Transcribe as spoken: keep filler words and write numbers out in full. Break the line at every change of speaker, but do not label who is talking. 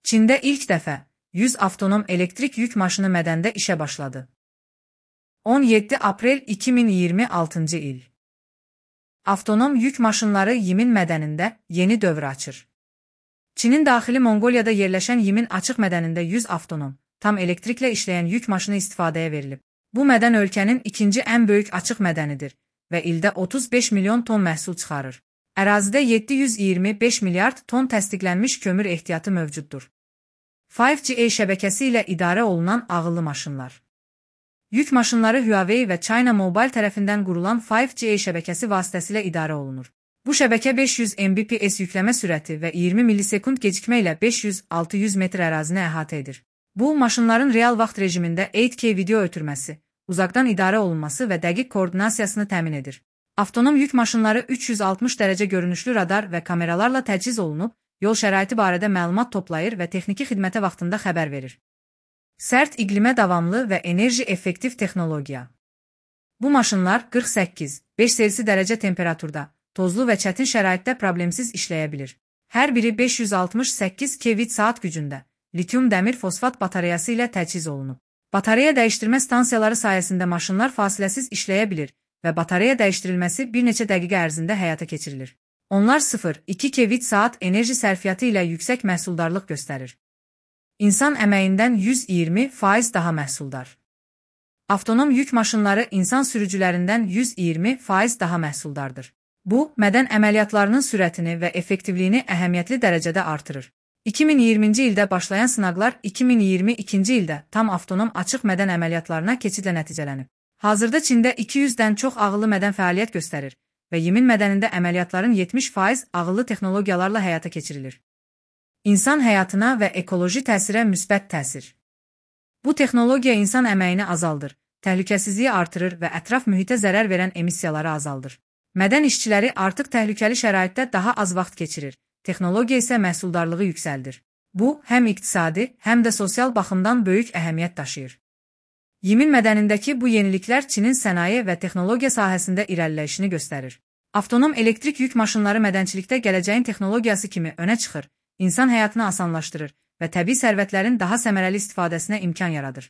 Çində ilk dəfə yüz avtonom elektrik yük maşını mədəndə işə başladı. on yeddi aprel iki min iyirmi altıncı il. Avtonom yük maşınları Yimin mədənində yeni dövr açır. Çinin daxili Monqoliyada yerləşən Yimin açıq mədənində yüz avtonom, tam elektriklə işləyən yük maşını istifadəyə verilib. Bu mədən ölkənin ikinci ən böyük açıq mədənidir və ildə otuz beş milyon ton məhsul çıxarır. Ərazidə yeddi yüz iyirmi beş milyard ton təsdiqlənmiş kömür ehtiyatı mövcuddur. beş G şəbəkəsi ilə idarə olunan ağıllı maşınlar. Yük maşınları Huawei və China Mobile tərəfindən qurulan beş G şəbəkəsi vasitəsilə idarə olunur. Bu şəbəkə beş yüz Mbps yükləmə sürəti və iyirmi millisekund gecikmə ilə beş yüz altı yüz metr ərazini əhatə edir. Bu, maşınların real vaxt rejimində eight K video ötürməsi, uzaqdan idarə olunması və dəqiq koordinasiyasını təmin edir. Avtonom yük maşınları üç yüz altmış dərəcə görünüşlü radar və kameralarla təchiz olunub, yol şəraiti barədə məlumat toplayır və texniki xidmətə vaxtında xəbər verir. Sərt iqlimə davamlı və enerji effektiv texnologiya. Bu maşınlar qırx səkkiz beş Selsi dərəcə temperaturda, tozlu və çətin şəraitdə problemsiz işləyə bilir. Hər biri beş yüz altmış səkkiz kilovatt saat gücündə, litium dəmir fosfat batareyası ilə təchiz olunub. Batareya dəyişdirmə stansiyaları sayəsində maşınlar fasiləsiz işləyə bilir və batareya dəyişdirilməsi bir neçə dəqiqə ərzində həyata keçirilir. Onlar sıfır nöqtə iki kilovatt saat enerji sərfiyyatı ilə yüksək məhsuldarlıq göstərir. İnsan əməyindən yüz iyirmi faiz daha məhsuldar. Avtonom yük maşınları insan sürücülərindən yüz iyirmi faiz daha məhsuldardır. Bu, mədən əməliyyatlarının sürətini və effektivliyini əhəmiyyətli dərəcədə artırır. iki min iyirminci ildə başlayan sınaqlar iki min iyirmi ikinci ildə tam avtonom açıq mədən əməliyyatlarına keçidlə nəticələnib. Hazırda Çində iki yüzdən çox ağıllı mədən fəaliyyət göstərir və Yimin mədənində əməliyyatların yetmiş faiz ağıllı texnologiyalarla həyata keçirilir. İnsan həyatına və ekoloji təsirə müsbət təsir. Bu texnologiya insan əməyini azaldır, təhlükəsizliyi artırır və ətraf mühitə zərər verən emissiyaları azaldır. Mədən işçiləri artıq təhlükəli şəraitdə daha az vaxt keçirir, texnologiya isə məhsuldarlığı yüksəldir. Bu, həm iqtisadi, həm də sosial baxımdan böyük əhəmiyyət daşıyır. Yimin mədənindəki bu yeniliklər Çinin sənaye və texnologiya sahəsində irəliləyişini göstərir. Avtonom elektrik yük maşınları mədənçilikdə gələcəyin texnologiyası kimi önə çıxır, insan həyatını asanlaşdırır və təbii sərvətlərin daha səmərəli istifadəsinə imkan yaradır.